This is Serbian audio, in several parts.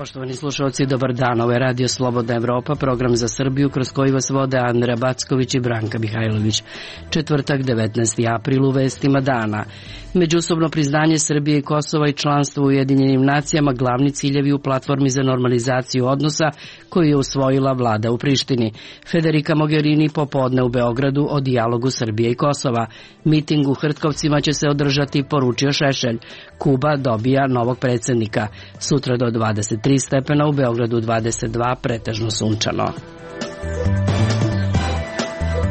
Poštovani slušalci, dobar dan. Ovo je Radio Slobodna Evropa, program za Srbiju kroz koji vas vode Andra Backović i Branka Mihajlović. Četvrtak, 19. april, u vestima dana. Međusobno priznanje Srbije i Kosova i članstvo u Ujedinjenim nacijama glavni ciljevi u platformi za normalizaciju odnosa koju je usvojila vlada u Prištini. Federica Mogherini popodne u Beogradu o dijalogu Srbije i Kosova. Miting u Hrtkovcima će se održati, poručio Šešelj. Kuba dobija novog predsjednika. Sutra do 23 stepena, u Beogradu 22, pretežno sunčano.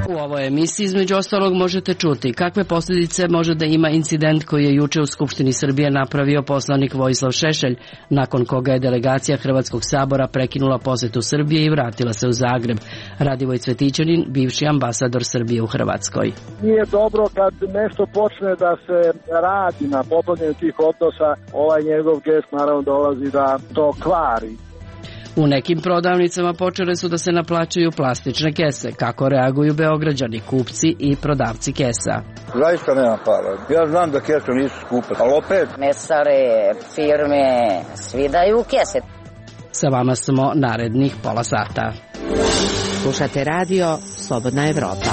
U ovoj emisiji između ostalog možete čuti kakve posljedice može da ima incident koji je juče u Skupštini Srbije napravio poslanik Vojislav Šešelj, nakon koga je delegacija Hrvatskog sabora prekinula posetu Srbije i vratila se u Zagreb. Radivoj Cvetićanin, bivši ambasador Srbije u Hrvatskoj. Nije dobro kad nešto počne da se radi na popravljanju tih odnosa, ovaj njegov gest naravno dolazi da to kvari. U nekim prodavnicama počele su da se naplaćuju plastične kese. Kako reaguju Beograđani, kupci i prodavci kesa? Zaista nema para. Ja znam da kese nisu skupe, ali opet... Mesare, firme, svi daju kese. Sa vama smo narednih pola sata. Slušate radio Slobodna Evropa.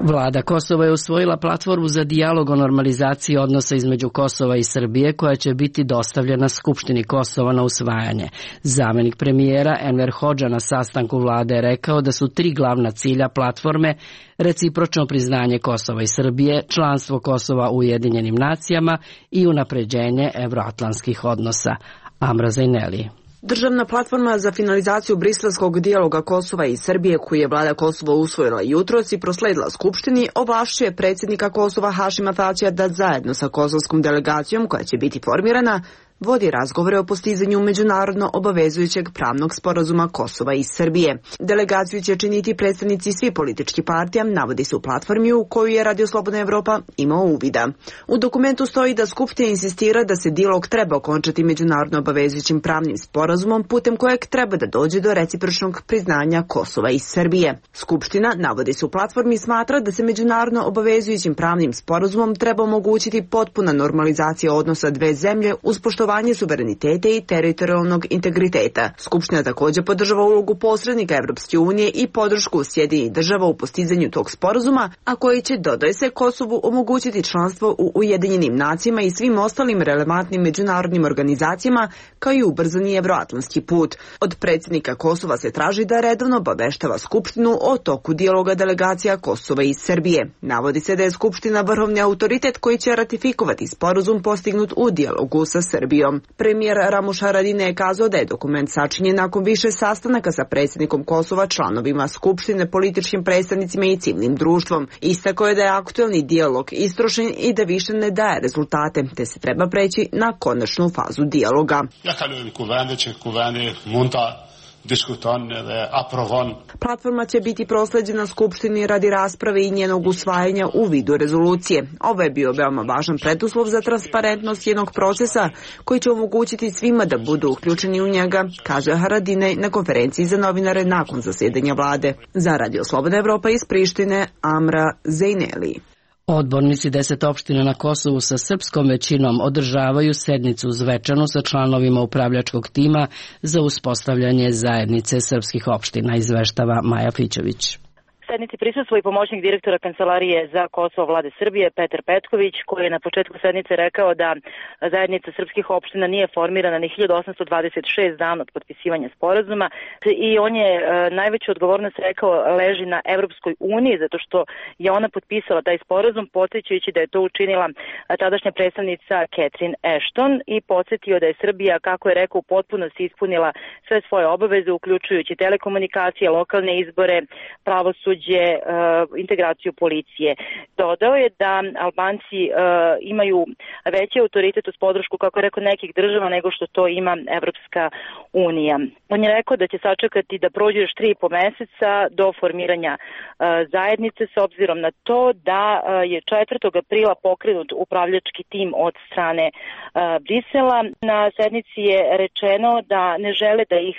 Vlada Kosova je usvojila platformu za dijalog o normalizaciji odnosa između Kosova i Srbije, koja će biti dostavljena Skupštini Kosova na usvajanje. Zamenik premijera Enver Hodža na sastanku vlade je rekao da su 3 glavna cilja platforme: recipročno priznanje Kosova i Srbije, članstvo Kosova u Ujedinjenim nacijama i unapređenje evroatlantskih odnosa. Amra Zajneli. Državna platforma za finalizaciju briselskog dijaloga Kosova i Srbije, koju je vlada Kosova usvojila jutros i prosledila Skupštini, ovlašćuje predsjednika Kosova Hašima Tačija da zajedno sa kosovskom delegacijom, koja će biti formirana, vodi razgovore o postizanju međunarodno obavezujućeg pravnog sporazuma Kosova i Srbije. Delegaciju će činiti predstavnici svih političkih partija, navodi se u platformi u koju je Radio Slobodna Evropa imao uvida. U dokumentu stoji da Skupština insistira da se dijalog treba okončati međunarodno obavezujućim pravnim sporazumom, putem kojeg treba da dođe do recipročnog priznanja Kosova i Srbije. Skupština, navodi se u platformi, smatra da se međunarodno obavezujućim pravnim sporazumom treba omogućiti potpuna normalizacija odnosa dve zemlje uz poštovanje suvereniteta i teritorijalnog integriteta. Skupština također podržava ulogu posrednika Evropske unije i podršku Sjedinjenih država u postizanju tog sporazuma, a koji će, dodaje se, Kosovu omogućiti članstvo u Ujedinjenim nacijama i svim ostalim relevantnim međunarodnim organizacijama, kao i ubrzani evroatlantski put. Od predsjednika Kosova se traži da redovno obaveštava Skupštinu o toku dijaloga delegacija Kosova i Srbije. Navodi se da je Skupština vrhovni autoritet koji će ratifikovati sporazum postignut u dijalogu sa Srbijom. Premijer Ramuš Haradinaj je kazao da je dokument sačinjen nakon više sastanaka sa predsjednikom Kosova, članovima Skupštine, političkim predstavnicima i civilnim društvom. Istakao je da je aktuelni dijalog istrošen i da više ne daje rezultate, te se treba preći na konačnu fazu dijaloga. Platforma će biti prosleđena Skupštini radi rasprave i njenog usvajanja u vidu rezolucije. Ovo je bio veoma važan preduslov za transparentnost jednog procesa koji će omogućiti svima da budu uključeni u njega, kaže Haradinaj na konferenciji za novinare nakon zasjedanja vlade. Za Radio Slobodna Evropa iz Prištine, Amra Zajneli. Odbornici 10 opština na Kosovu sa srpskom većinom održavaju sednicu u Zvečanu sa članovima upravljačkog tima za uspostavljanje zajednice srpskih opština, izveštava Maja Fićević. Sednici prisustvuje i pomoćnik direktora Kancelarije za Kosovo vlade Srbije Petar Petković, koji je na početku sednice rekao da zajednica srpskih opština nije formirana ni 1826 dana od potpisivanja sporazuma i on je najveću odgovornost rekao leži na Evropskoj uniji, zato što je ona potpisala taj sporazum, podsjećajući da je to učinila tadašnja predstavnica Catherine Ashton i podsjetio da je Srbija, kako je rekao, u potpunosti ispunila sve svoje obaveze, uključujući telekomunikacije, lokalne izbore, pravosuđe, integraciju policije. Dodao je da Albanci imaju veći autoritet uz podršku, kako je rekao, nekih država nego što to ima Evropska unija. On je rekao da će sačekati da prođe još 3,5 meseca do formiranja zajednice, s obzirom na to da je 4. aprila pokrenut upravljački tim od strane Brisela. Na sednici je rečeno da ne žele da ih,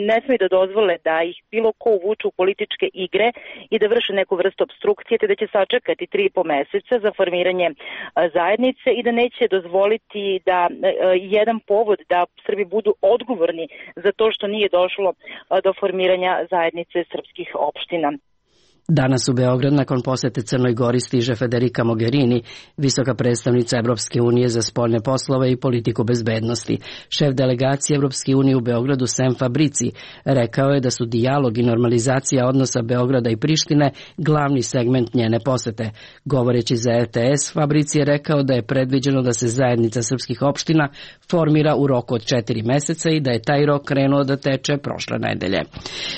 ne smiju da dozvole da ih bilo ko uvuču u političke igre igre i da vrše neku vrstu obstrukcije, te da će sačekati 3,5 meseca za formiranje zajednice i da neće dozvoliti da jedan povod da Srbi budu odgovorni za to što nije došlo do formiranja zajednice srpskih opština. Danas u Beograd nakon posete Crnoj Gori stiže Federica Mogherini, visoka predstavnica Evropske unije za spoljne poslove i politiku bezbednosti. Šef delegacije Evropske unije u Beogradu Sem Fabrici rekao je da su dijalog i normalizacija odnosa Beograda i Prištine glavni segment njene posete. Govoreći za RTS, Fabrici je rekao da je predviđeno da se zajednica srpskih opština formira u roku od 4 meseca i da je taj rok krenuo da teče prošle nedelje.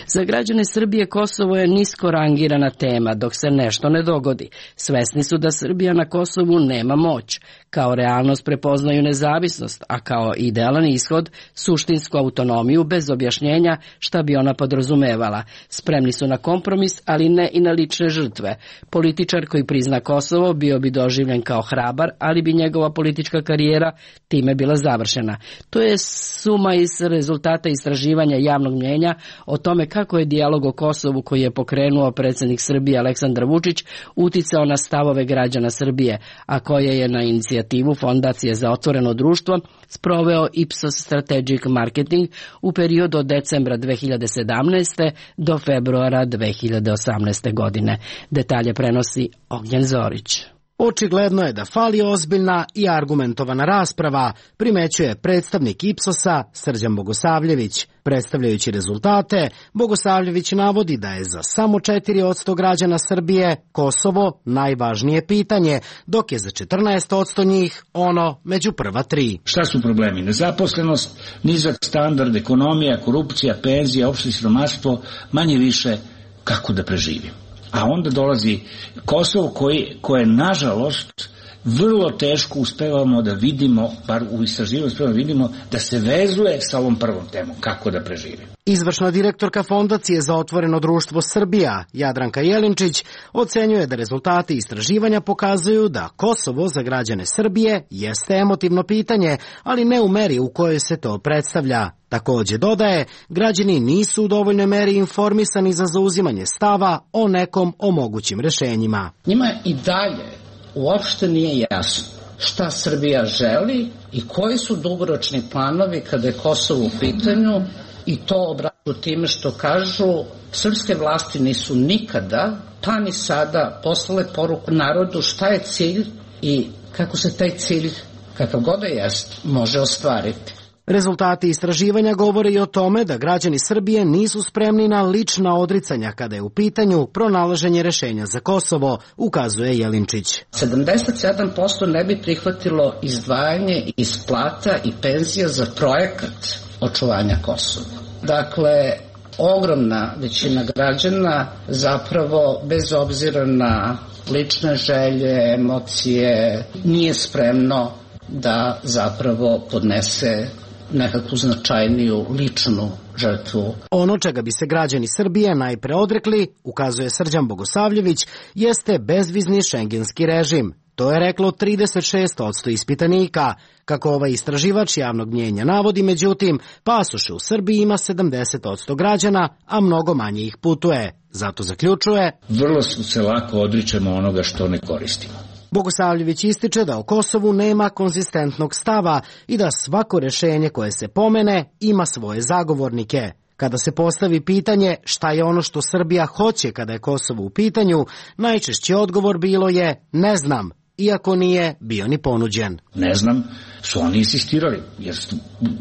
Za građane Srbije Kosovo je nisko rangirana tema dok se nešto ne dogodi. Svesni su da Srbija na Kosovu nema moć. Kao realnost prepoznaju nezavisnost, a kao idealan ishod suštinsku autonomiju bez objašnjenja šta bi ona podrazumevala. Spremni su na kompromis, ali ne i na lične žrtve. Političar koji prizna Kosovo bio bi doživljen kao hrabar, ali bi njegova politička karijera time bila završena. To je suma iz rezultata istraživanja javnog mnjenja o tome kako je dijalog o Kosovu koji je pokrenuo predsjednik Srbije Aleksandar Vučić uticao na stavove građana Srbije, a koje je na inicijativu Fondacije za otvoreno društvo sproveo Ipsos Strategic Marketing u periodu od decembra 2017. do februara 2018. godine. Detalje prenosi Ognjen Zorić. Očigledno je da fali ozbiljna i argumentovana rasprava, primećuje predstavnik Ipsosa Srđan Bogosavljević. Predstavljajući rezultate, Bogosavljević navodi da je za samo 4% građana Srbije Kosovo najvažnije pitanje, dok je za 14% njih ono među prva 3. Šta su problemi? Nezaposlenost, nizak standard, ekonomija, korupcija, penzija, opšte siromaštvo, manje više kako da preživim. A onda dolazi Kosovo koje nažalost vrlo teško uspevamo da vidimo, bar u istraživanju uspevamo da vidimo, da se vezuje sa ovom prvom temom, kako da preživim. Izvršna direktorka Fondacije za otvoreno društvo Srbija, Jadranka Jelinčić, ocenjuje da rezultati istraživanja pokazuju da Kosovo za građane Srbije jeste emotivno pitanje, ali ne u meri u kojoj se to predstavlja. Takođe dodaje, građani nisu u dovoljnoj meri informisani za zauzimanje stava o nekom o mogućim rešenjima. Njima i dalje uopšte nije jasno šta Srbija želi i koji su dugoročni planovi kada je Kosovo u pitanju, i to obraćaju time što kažu srpske vlasti nisu nikada, pa ni sada, poslale poruku narodu šta je cilj i kako se taj cilj, kakav god da jest, može ostvariti. Rezultati istraživanja govore i o tome da građani Srbije nisu spremni na lična odricanja kada je u pitanju pronalaženje rešenja za Kosovo, ukazuje Jelinčić. 77% ne bi prihvatilo izdvajanje iz plata i penzija za projekat očuvanja Kosova. Dakle, ogromna većina građana zapravo, bez obzira na lične želje, emocije, nije spremno da zapravo podnese nekakvu značajniju ličnu žrtvu. Ono čega bi se građani Srbije najpre odrekli, ukazuje Srđan Bogosavljević, jeste bezvizni šengenski režim. To je reklo 36% ispitanika. Kako ovaj istraživač javnog mnjenja navodi, međutim, pasoše u Srbiji ima 70% građana, a mnogo manje ih putuje. Zato zaključuje: vrlo se lako odričemo onoga što ne koristimo. Bogosavljević ističe da o Kosovu nema konzistentnog stava i da svako rešenje koje se pomene ima svoje zagovornike. Kada se postavi pitanje šta je ono što Srbija hoće kada je Kosovo u pitanju, najčešći odgovor bilo je ne znam, iako nije bio ni ponuđen. Ne znam, su oni insistirali, jer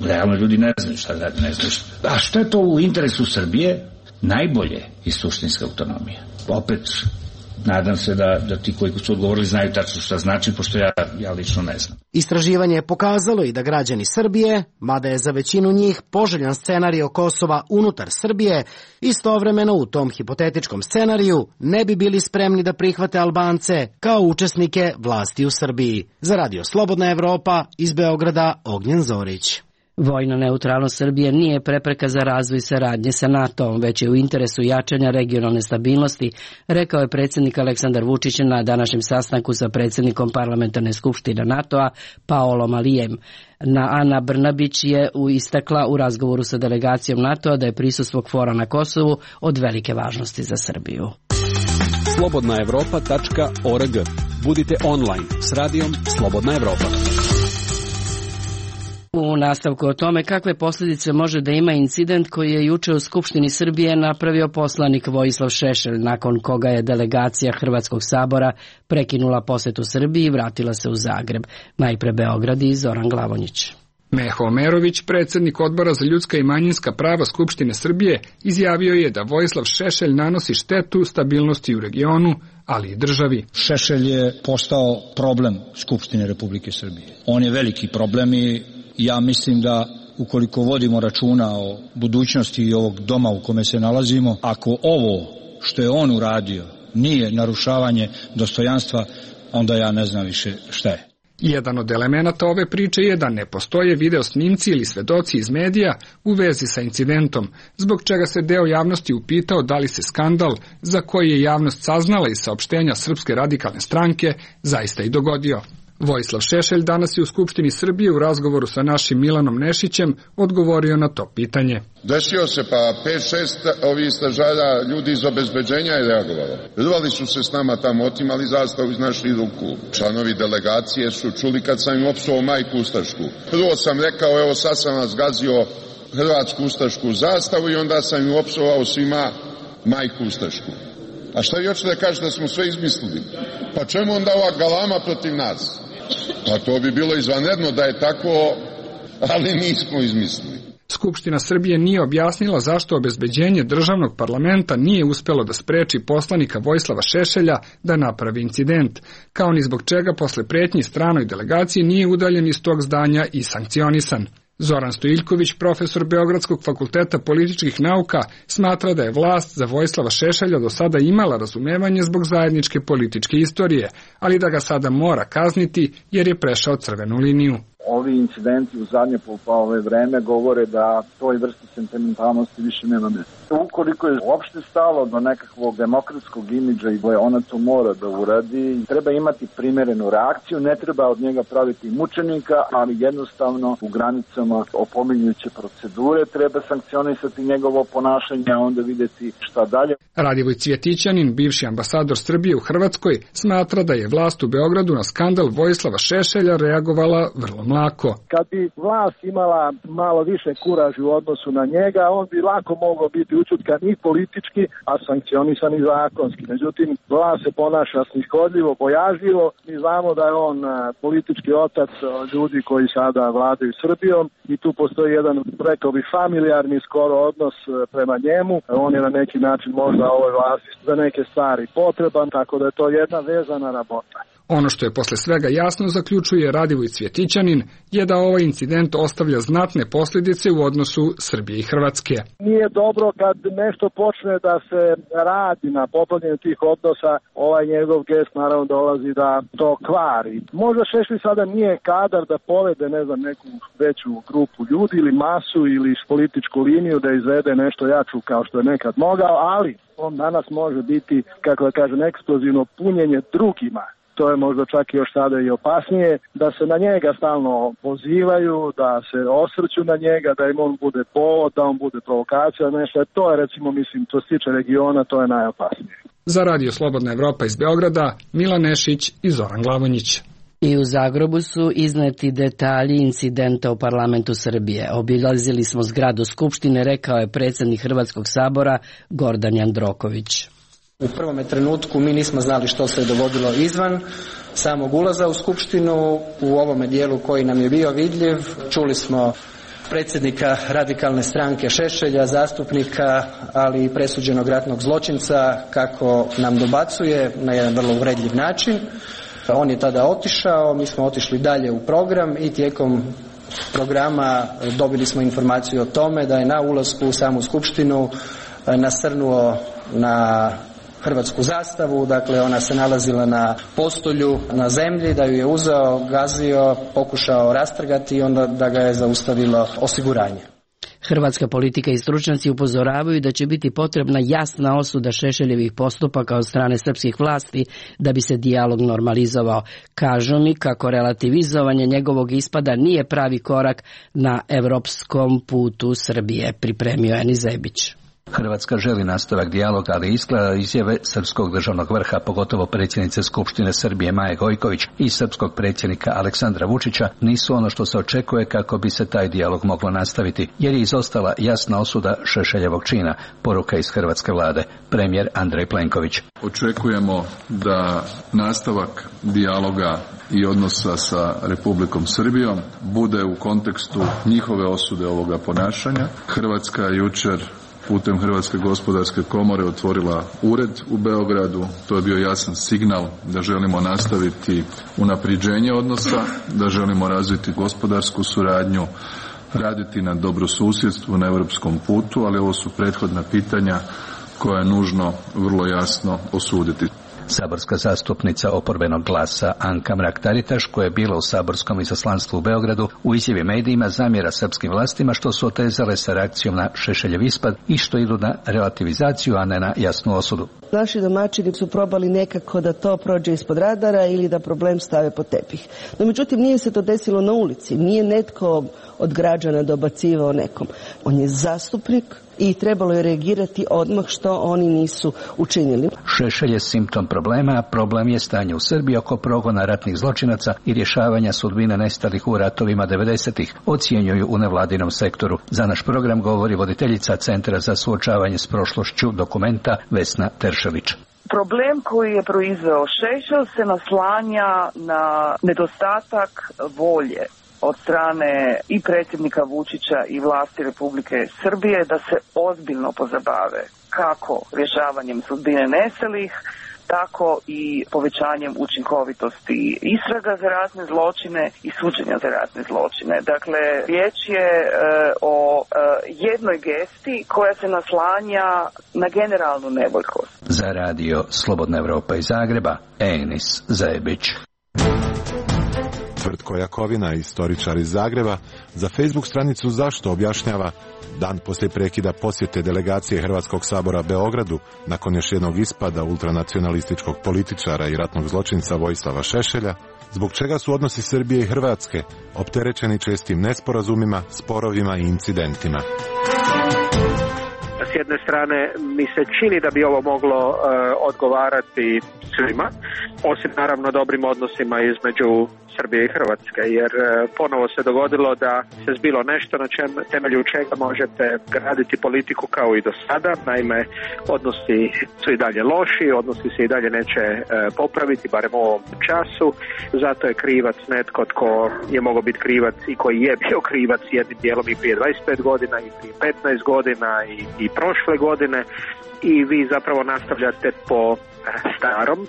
realno ljudi ne znaju šta da ne znaju. A što je to u interesu Srbije? Najbolje je suštinska autonomija. Opet, nadam se da ti koji su odgovorili znaju tačno šta znači, pošto ja lično ne znam. Istraživanje je pokazalo i da građani Srbije, mada je za većinu njih poželjan scenarij Kosova unutar Srbije, istovremeno u tom hipotetičkom scenariju ne bi bili spremni da prihvate Albance kao učesnike vlasti u Srbiji. Za Radio Slobodna Evropa, iz Beograda, Ognjen Zorić. Vojna neutralnost Srbije nije prepreka za razvoj saradnje sa NATO-om, već je u interesu jačanja regionalne stabilnosti, rekao je predsjednik Aleksandar Vučić na današnjem sastanku sa predsjednikom Parlamentarne skupštine NATO-a Paolom Alijem. Ana Brnabić je istakla u razgovoru sa delegacijom NATO-a da je prisustvo KFOR-a na Kosovu od velike važnosti za Srbiju. slobodnaevropa.org. Budite online s radijom Slobodna Evropa. U nastavku o tome kakve posljedice može da ima incident koji je juče u Skupštini Srbije napravio poslanik Vojislav Šešelj, nakon koga je delegacija Hrvatskog sabora prekinula posetu Srbiji i vratila se u Zagreb. Najpre Beograd i Zoran Glavonjić. Meho Omerović, predsjednik Odbora za ljudska i manjinska prava Skupštine Srbije, izjavio je da Vojislav Šešelj nanosi štetu stabilnosti u regionu, ali i državi. Šešelj je postao problem Skupštine Republike Srbije. On je veliki problem i ja mislim da ukoliko vodimo računa o budućnosti i ovog doma u kome se nalazimo, ako ovo što je on uradio nije narušavanje dostojanstva, onda ja ne znam više šta je. Jedan od elemenata ove priče je da ne postoje video snimci ili svedoci iz medija u vezi sa incidentom, zbog čega se deo javnosti upitao da li se skandal, za koji je javnost saznala iz saopštenja Srpske radikalne stranke, zaista i dogodio. Vojislav Šešelj danas je u Skupštini Srbije u razgovoru sa našim Milanom Nešićem odgovorio na to pitanje. Desio se, pa 5-6 ovih stražara ljudi iz obezbeđenja je reagovalo. Rvali su se s nama tamo, otimali zastavu iz naših ruku. Članovi delegacije su čuli kad sam im opsovao majku ustašku. Prvo sam rekao, evo sad sam vas gazio hrvatsku ustašku zastavu i onda sam im opsovao svima majku ustašku. A šta vi hoćete da kažete da smo sve izmislili? Pa čemu onda ova galama protiv nas? Pa to bi bilo izvanredno da je tako, ali nismo izmislili. Skupština Srbije nije objasnila zašto obezbeđenje državnog parlamenta nije uspelo da spreči poslanika Vojislava Šešelja da napravi incident, kao ni zbog čega posle pretnji stranoj delegaciji nije udaljen iz tog zdanja i sankcionisan. Zoran Stojiljković, profesor Beogradskog fakulteta političkih nauka, smatra da je vlast za Vojislava Šešelja do sada imala razumevanje zbog zajedničke političke istorije, ali da ga sada mora kazniti jer je prešao crvenu liniju. Ovi incidenti u zadnje vreme govore da toj vrsti sentimentalnosti više nema mjesta. Ukoliko je uopšte stalo do nekakvog demokratskog imidža i ona to mora da uradi, treba imati primerenu reakciju, ne treba od njega praviti mučenika, ali jednostavno u granicama opominjuće procedure treba sankcionisati njegovo ponašanje, a onda vidjeti šta dalje. Radivoj Cvjetićanin, bivši ambasador Srbije u Hrvatskoj, smatra da je vlast u Beogradu na skandal Vojislava Šešelja reagovala vrlo mlako. Kad bi vlast imala malo više kuraži u odnosu na njega, on bi lako mogao biti učutkan i politički, a sankcionisan i zakonski. Međutim, vlast se ponaša snihodljivo, bojažljivo. Mi znamo da je on politički otac ljudi koji sada vladaju Srbijom i tu postoji jedan, rekao bi, familijarni skoro odnos prema njemu. On je na neki način možda ovoj vlasti za neke stvari potreban, tako da je to jedna vezana rabota. Ono što je posle svega jasno, zaključuje Radivoj Cvjetićanin, je da ovaj incident ostavlja znatne posljedice u odnosu Srbije i Hrvatske. Nije dobro kad nešto počne da se radi na popravljanju tih odnosa, ovaj njegov gest naravno dolazi da to kvari. Možda Šešelj sada nije kadar da povede, neku veću grupu ljudi ili masu ili političku liniju da izvede nešto jaču kao što je nekad mogao, ali on danas može biti, kako da kažem, eksplozivno punjenje drugima. To je možda čak i još sada i opasnije, da se na njega stalno pozivaju, da se osvrću na njega, da im on bude povod, da on bude provokacija, nešto. To je, recimo, mislim, to se tiče regiona, to je najopasnije. Za Radio Slobodna Evropa iz Beograda, Milan Nešić i Zoran Glavonjić. I u Zagrebu su izneti detalji incidenta u parlamentu Srbije. Obilazili smo zgradu Skupštine, rekao je predsjednik Hrvatskog sabora Gordan Jandroković. U prvom trenutku mi nismo znali što se je dogodilo izvan samog ulaza u Skupštinu. U ovome dijelu koji nam je bio vidljiv čuli smo predsjednika radikalne stranke Šešelja, zastupnika, ali i presuđenog ratnog zločinca kako nam dobacuje na jedan vrlo uvredljiv način. On je tada otišao, mi smo otišli dalje u program i tijekom programa dobili smo informaciju o tome da je na ulasku u samu Skupštinu nasrnuo na hrvatsku zastavu, dakle ona se nalazila na postolju na zemlji, da ju je uzeo, gazio, pokušao rastrgati i onda da ga je zaustavilo osiguranje. Hrvatska politika i stručnjaci upozoravaju da će biti potrebna jasna osuda Šešeljevih postupaka od strane srpskih vlasti da bi se dijalog normalizovao. Kažu mi kako relativizovanje njegovog ispada nije pravi korak na evropskom putu Srbije, pripremio Enis Zebić. Hrvatska želi nastavak dijaloga, ali izgleda izjave srpskog državnog vrha, pogotovo predsjednice Skupštine Srbije Maje Gojković i srpskog predsjednika Aleksandra Vučića, nisu ono što se očekuje kako bi se taj dijalog moglo nastaviti, jer je izostala jasna osuda Šešeljevog čina, poruka iz hrvatske vlade, premijer Andrej Plenković. Očekujemo da nastavak dijaloga i odnosa sa Republikom Srbijom bude u kontekstu njihove osude ovoga ponašanja. Hrvatska je jučer putem Hrvatske gospodarske komore otvorila ured u Beogradu. To je bio jasan signal da želimo nastaviti unapređenje odnosa, da želimo razviti gospodarsku suradnju, raditi na dobrosusjedstvu na europskom putu, ali ovo su prethodna pitanja koja je nužno vrlo jasno osuditi. Saborska zastupnica oporbenog Glasa Anka Mrak-Taritaš, koja je bila u saborskom izaslanstvu u Beogradu, u izjavi medijima zamjera srpskim vlastima što su otezale sa reakcijom na Šešeljev ispad i što idu na relativizaciju, a ne na jasnu osudu. Naši domaćini su probali nekako da to prođe ispod radara ili da problem stave pod tepih. No međutim, nije se to desilo na ulici, nije netko od građana dobacivao nekom. On je zastupnik i trebalo je reagirati odmah, što oni nisu učinili. Šešelj je simptom problema, a problem je stanje u Srbiji oko progona ratnih zločinaca i rješavanja sudbine nestalih u ratovima 90-ih, ocjenjuju u nevladinom sektoru. Za naš program govori voditeljica Centra za suočavanje s prošlošću Dokumenta Vesna Teršelić. Problem koji je proizveo Šešelj se naslanja na nedostatak volje od strane i predsjednika Vučića i vlasti Republike Srbije da se ozbiljno pozabave kako rješavanjem sudbine nestalih, tako i povećanjem učinkovitosti istraga za ratne zločine i suđenja za ratne zločine. Dakle, riječ je o jednoj gesti koja se naslanja na generalnu nevoljkost. Za radio Slobodna Evropa iz Zagreba, Enis Zebić. Tvrtko Jakovina, istoričar iz Zagreba, za Facebook stranicu Zašto objašnjava dan poslije prekida posjete delegacije Hrvatskog sabora Beogradu nakon još jednog ispada ultranacionalističkog političara i ratnog zločinca Vojislava Šešelja, zbog čega su odnosi Srbije i Hrvatske opterećeni čestim nesporazumima, sporovima i incidentima. S jedne strane mi se čini da bi ovo moglo odgovarati svima, osim naravno dobrim odnosima između Srbije i Hrvatske, jer ponovo se dogodilo da se zbilo nešto na temelju čega možete graditi politiku kao i do sada. Naime, odnosi su i dalje loši, odnosi se i dalje neće popraviti, barem u ovom času. Zato je krivac netko tko je mogao biti krivac i koji je bio krivac jednim dijelom i prije 25 godina i prije 15 godina i prošle godine, i vi zapravo nastavljate po starom.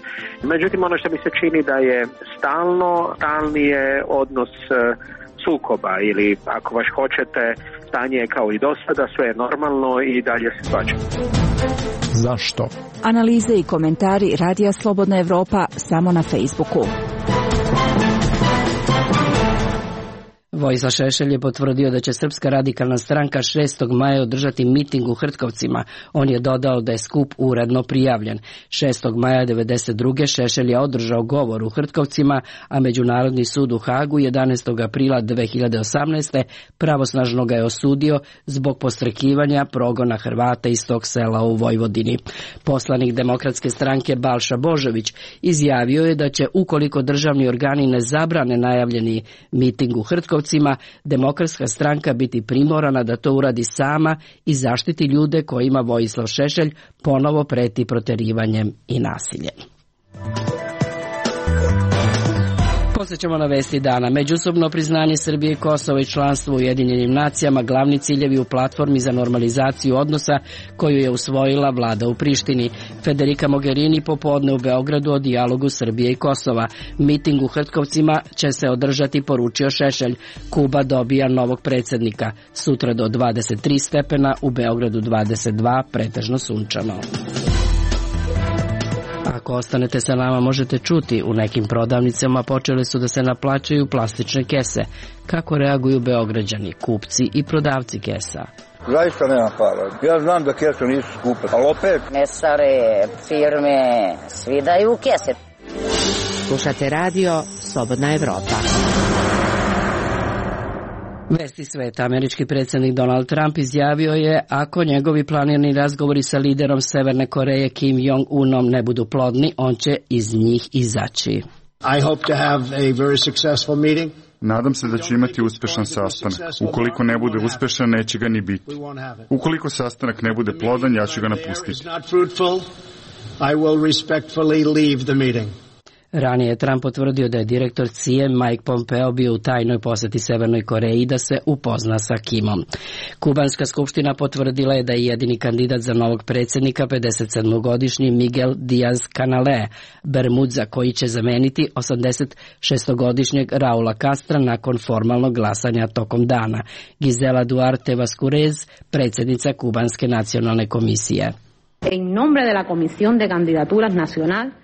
Međutim, ono što mi se čini da je stalni je odnos sukoba, ili ako baš hoćete, stanje je kao i do sada, sve je normalno i dalje se svađa. Zašto? Analize i komentari Radija Slobodna Evropa samo na Facebooku. Vojislav Šešelj je potvrdio da će Srpska radikalna stranka 6. maja održati miting u Hrtkovcima. On je dodao da je skup uredno prijavljen. 6. maja 1992. Šešelj je održao govor u Hrtkovcima, a Međunarodni sud u Hagu 11. aprila 2018. pravosnažno ga je osudio zbog podstrekivanja progona Hrvata iz tog sela u Vojvodini. Poslanik Demokratske stranke Balša Božović izjavio je da će, ukoliko državni organi ne zabrane najavljeni miting u Hrtkovcima, Demokratska stranka biti primorana da to uradi sama i zaštiti ljude kojima Vojislav Šešelj ponovo preti proterivanjem i nasiljem. Posjećamo na vesti dana. Međusobno priznanje Srbije i Kosova i članstvo u Ujedinjenim nacijama glavni ciljevi u platformi za normalizaciju odnosa koju je usvojila vlada u Prištini. Federica Mogherini popodne u Beogradu o dijalogu Srbije i Kosova. Miting u Hrtkovcima će se održati, poručio Šešelj. Kuba dobija novog predsjednika. Sutra do 23 stepena, u Beogradu 22, pretežno sunčano. Ako ostanete sa nama, možete čuti, u nekim prodavnicama počele su da se naplaćuju plastične kese. Kako reaguju Beograđani, kupci i prodavci kesa? Zaista nemam para. Ja znam da kese nisu skupe, ali opet... Mesare, firme, svi daju kese. Slušate radio Slobodna Evropa. Vesti sveta. Američki predsjednik Donald Trump izjavio je ako njegovi planirani razgovori sa liderom Severne Koreje Kim Jong-unom ne budu plodni, on će iz njih izaći. I hope to have a very successful meeting. Nadam se da će imati uspešan sastanak. Ukoliko ne bude uspešan, neće ga ni biti. Ukoliko sastanak ne bude plodan, ja ću ga napustiti. Ranije je Trump potvrdio da je direktor CIA Mike Pompeo bio u tajnoj poseti Severnoj Koreji da se upozna sa Kimom. Kubanska skupština potvrdila je da je jedini kandidat za novog predsjednika 57-godišnji Miguel Díaz-Canel Bermudza, koji će zameniti 86-godišnjeg Raula Castra nakon formalnog glasanja tokom dana. Gisela Duarte Vasquez, predsjednica Kubanske nacionalne komisije.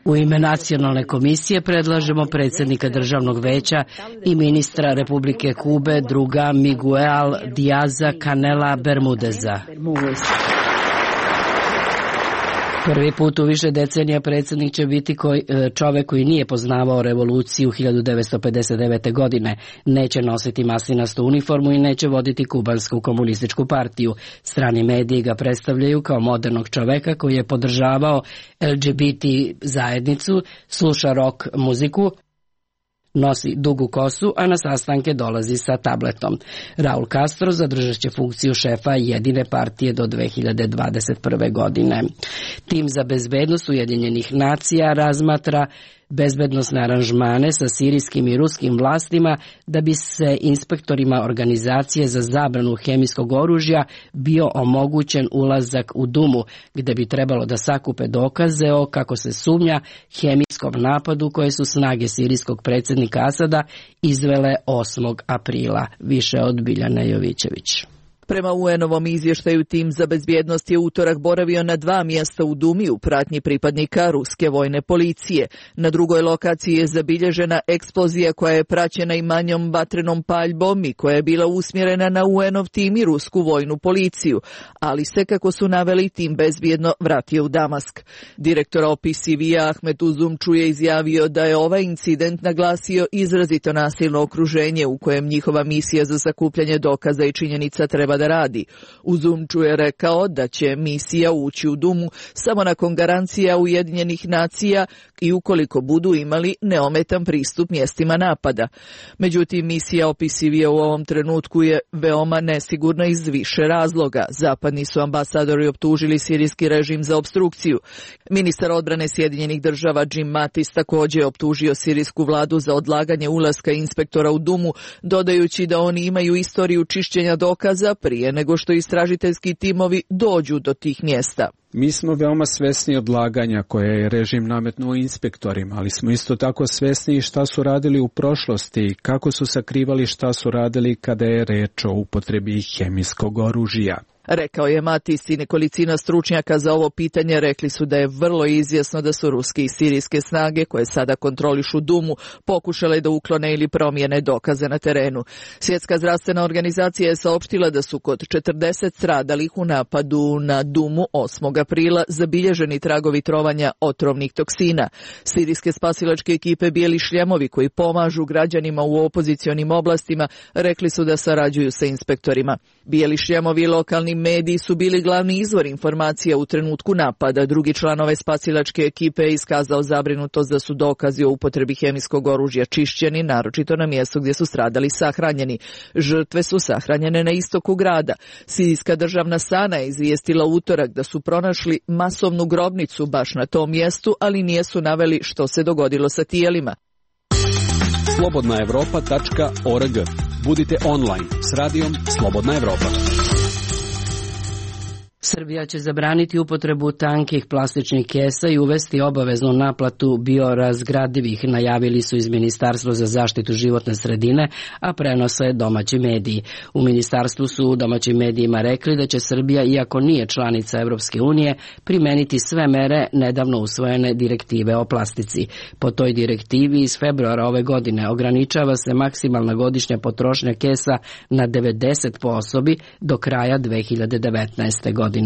U ime nacionalne komisije predlažemo predsjednika državnog veća i ministra Republike Kube druga Miguel Díaza-Canela Bermudeza. Prvi put u više decenija predsjednik će biti čovjek koji nije poznavao revoluciju 1959. godine, neće nositi maslinastu uniformu i neće voditi kubansku komunističku partiju. Strani mediji ga predstavljaju kao modernog čovjeka koji je podržavao LGBT zajednicu, sluša rock muziku, nosi dugu kosu, a na sastanke dolazi sa tabletom. Raul Castro zadržat će funkciju šefa jedine partije do 2021. godine. Tim za bezbednost Ujedinjenih nacija razmatra bezbednosne aranžmane sa sirijskim i ruskim vlastima da bi se inspektorima organizacije za zabranu hemijskog oružja bio omogućen ulazak u Dumu, gde bi trebalo da sakupe dokaze o, kako se sumnja, hemijskom napadu koje su snage sirijskog predsjednika Asada izvele 8. aprila. Više od Biljane Jovićević. Prema UN-ovom izvještaju, tim za bezbjednost je utorak boravio na 2 mjesta u Dumi u pratnji pripadnika ruske vojne policije. Na drugoj lokaciji je zabilježena eksplozija koja je praćena i manjom vatrenom paljbom i koja je bila usmjerena na UN-ov tim i rusku vojnu policiju, ali se, kako su naveli, tim bezbjedno vratio u Damask. Direktor OPCV-a Ahmet Uzumču je izjavio da je ovaj incident naglasio izrazito nasilno okruženje u kojem njihova misija za sakupljanje dokaza i činjenica treba da radi. Uzumču je rekao da će misija ući u Dumu samo nakon garancija Ujedinjenih nacija i ukoliko budu imali neometan pristup mjestima napada. Međutim, misija OPCV u ovom trenutku je veoma nesigurna iz više razloga. Zapadni su ambasadori optužili sirijski režim za opstrukciju. Ministar odbrane Sjedinjenih država Jim Mattis također je optužio sirijsku vladu za odlaganje ulaska inspektora u Dumu, dodajući da oni imaju istoriju čišćenja dokaza prije nego što istražiteljski timovi dođu do tih mjesta. Mi smo veoma svesni odlaganja koje je režim nametnuo inspektorima, ali smo isto tako svesni šta su radili u prošlosti i kako su sakrivali šta su radili kada je reč o upotrebi hemijskog oružja. Rekao je Matis i nekolicina stručnjaka za ovo pitanje rekli su da je vrlo izjasno da su ruske i sirijske snage, koje sada kontrolišu Dumu, pokušale da uklone ili promijene dokaze na terenu. Svjetska zdravstvena organizacija je saopštila da su kod 40 stradalih u napadu na Dumu 8. aprila zabilježeni tragovi trovanja otrovnih toksina. Sirijske spasilačke ekipe Bijeli šljemovi, koji pomažu građanima u opozicionim oblastima, rekli su da sarađuju sa inspektorima. Bijeli šljemovi i lokalni mediji su bili glavni izvor informacija u trenutku napada. Drugi član ove spasilačke ekipe je iskazao zabrinutost da su dokazi o upotrebi hemijskog oružja čišćeni, naročito na mjestu gdje su stradali sahranjeni. Žrtve su sahranjene na istoku grada. Sirijska državna Sana je izvijestila utorak da su pronašli masovnu grobnicu baš na tom mjestu, ali nisu naveli što se dogodilo sa tijelima. slobodnaevropa.org. Budite online s radijom Slobodna Evropa. Srbija će zabraniti upotrebu tankih plastičnih kesa i uvesti obaveznu naplatu biorazgradivih, najavili su iz Ministarstva za zaštitu životne sredine, a prenose domaći mediji. U ministarstvu su u domaćim medijima rekli da će Srbija, iako nije članica Evropske unije, primeniti sve mere nedavno usvojene direktive o plastici. Po toj direktivi iz februara ove godine ograničava se maksimalna godišnja potrošnja kesa na 90 po osobi do kraja 2019. godine.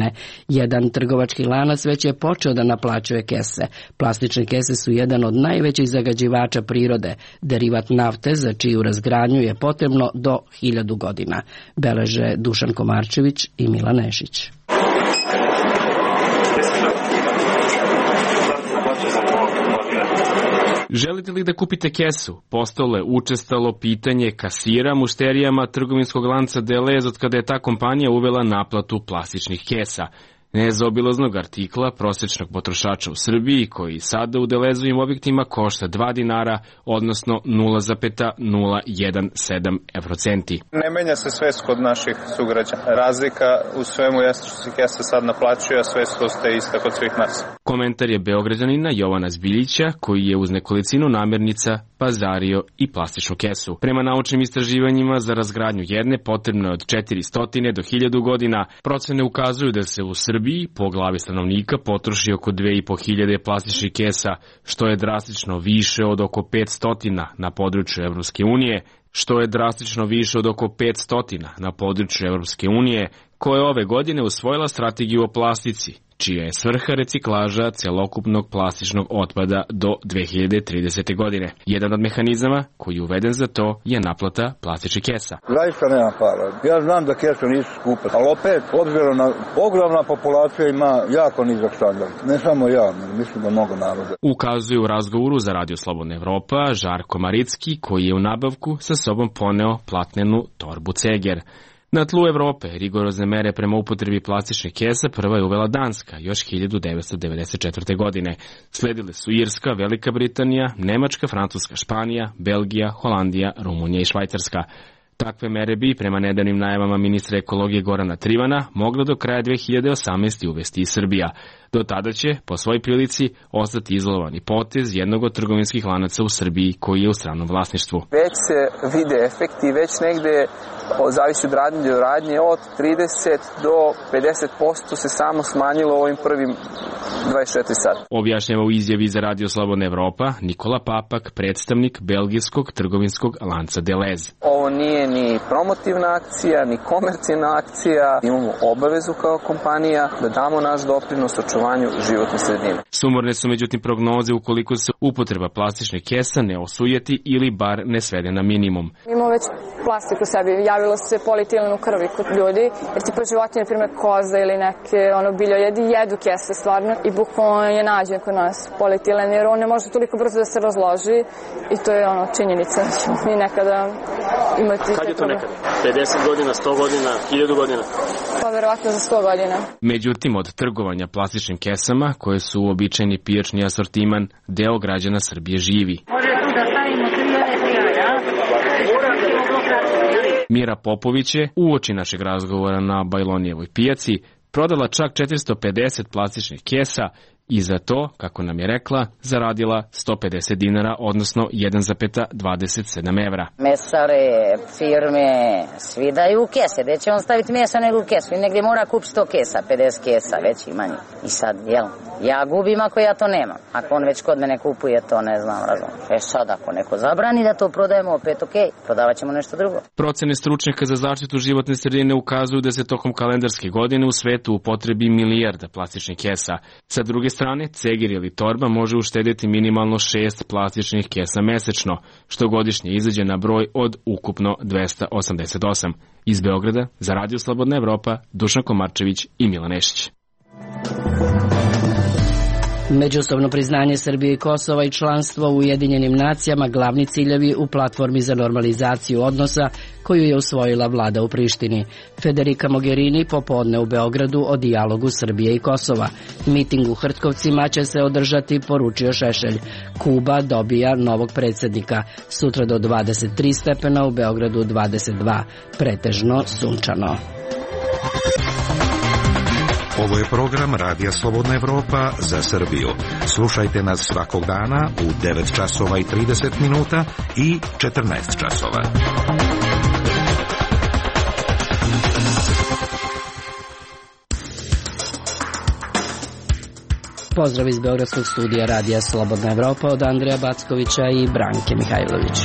Jedan trgovački lanac već je počeo da naplaćuje kese. Plastične kese su jedan od najvećih zagađivača prirode, derivat nafte za čiju razgradnju je potrebno do 1000 godina, beleže Dušan Komarčević i Milan Nešić. Želite li da kupite kesu? Postalo je učestalo pitanje kasira mušterijama trgovinskog lanca Delez od kada je ta kompanija uvela naplatu plastičnih kesa. Nezaobilaznog artikla prosječnog potrošača u Srbiji, koji sada u Delezovim objektima košta 2 dinara, odnosno 0,017 evrocenti. Ne menja se svest kod naših sugrađana. Razlika u svemu jeste što se kesa sad naplaćuje, a svest ostaje ista kod svih nas. Komentar je Beograđanina Jovana Zbiljića, koji je uz nekolicinu namirnica pazario i plastičnu kesu. Prema naučnim istraživanjima za razgradnju jedne potrebno je od 400 do 1000 godina. Procene ukazuju da se u Srbiji po glavi stanovnika potroši oko 2500 plastičnih kesa, što je drastično više od oko 500 na području Evropske unije, koja je ove godine usvojila strategiju o plastici, čija je svrha reciklaža celokupnog plastičnog otpada do 2030. godine. Jedan od mehanizama koji je uveden za to je naplata plastičnih kesa. Zaista nema para. Ja znam da kese nisu skupe, ali opet, obzirom na ogromna populacija ima jako nizak standard. Ne samo ja, mislim da mnogo naroda. Ukazuje u razgovoru za Radio Slobodna Evropa Žarko Maricki, koji je u nabavku sa sobom poneo platnenu torbu Ceger. Na tlu Evrope rigorozne mere prema upotrebi plastičnih kesa prva je uvela Danska još 1994. godine. Sledile su Irska, Velika Britanija, Nemačka, Francuska, Španija, Belgija, Holandija, Rumunija i Švajcarska. Takve mere bi, prema nedavnim najavama ministra ekologije Gorana Trivana, mogla do kraja 2018. uvesti i Srbija. Do tada će, po svoj prilici, ostati izolovani potez jednog od trgovinskih lanaca u Srbiji koji je u stranom vlasništvu. Već se vide efekti, već negde, zavisi od radnje do radnje, od 30 do 50% se samo smanjilo ovim prvim 24 sata. Objašnjava u izjavi za Radio Slobodna Evropa Nikola Papak, predstavnik belgijskog trgovinskog lanca Delez. Ovo nije ni promotivna akcija, ni komercijalna akcija. Imamo obavezu kao kompanija da damo naš doprinos očuvanju životne sredine. Sumorne su međutim prognoze ukoliko se upotreba plastičnih kesa ne osujeti ili bar ne svede na minimum. Imamo već plastiku u sebi, javilo se polietilenu u krvi kod ljudi, jer tipa životinje, na primjer koza ili neke biljojedi, jedu kese stvarno i bukvalno je nađen kod nas polietilen, jer on ne može toliko brzo da se razloži i to je činjenica da ćemo mi nekada imati... Kad je to nekada? 50 godina, 100 godina, 1000 godina? Pa verovatno za 100 godina. Međutim, od trgovanja plastičnim kesama, koje su uobičajeni pijačni asortiman, deo građana Srbije živi. Može tu da stavimo 3 ja? Mira Popović je, uoči našeg razgovora na Bajlonijevoj pijaci, prodala čak 450 plastičnih kesa i za to, kako nam je rekla, zaradila 150 dinara, odnosno 1,27 evra. Mesare, firme, svi daju kese. Gde će on staviti mesa nego kesu? I negdje mora kupiti 100 kesa, 50 kesa, već ima njih. I sad, ja gubim ako ja to nemam. Ako on već kod mene kupuje to, ne znam, razumiješ. Sad, ako neko zabrani da to prodajemo, opet prodavat ćemo nešto drugo. Procene stručnjaka za zaštitu životne sredine ukazuju da se tokom kalendarske godine u svetu upotrebi milijarda plastičnih kesa. Sa druge strane, ceger ili torba može uštediti minimalno 6 plastičnih kesa mesečno, što godišnje izađe na broj od ukupno 288. Iz Beograda, za Radio Slobodna Evropa, Dušan Komarčević i Milan Nešić. Međusobno priznanje Srbije i Kosova i članstvo u Ujedinjenim nacijama glavni ciljevi u platformi za normalizaciju odnosa koju je usvojila vlada u Prištini. Federica Mogherini popodne u Beogradu o dijalogu Srbije i Kosova. Miting u Hrtkovcima će se održati, poručio Šešelj. Kuba dobija novog predsjednika. Sutra do 23 stepena, u Beogradu 22. Pretežno sunčano. Ovo je program Radija Slobodna Evropa za Srbiju. Slušajte nas svakog dana u 9 časova i 30 minuta i 14 časova. Pozdrav iz Beogradskog studija Radija Slobodna Evropa od Andreja Backovića i Branke Mihajlović.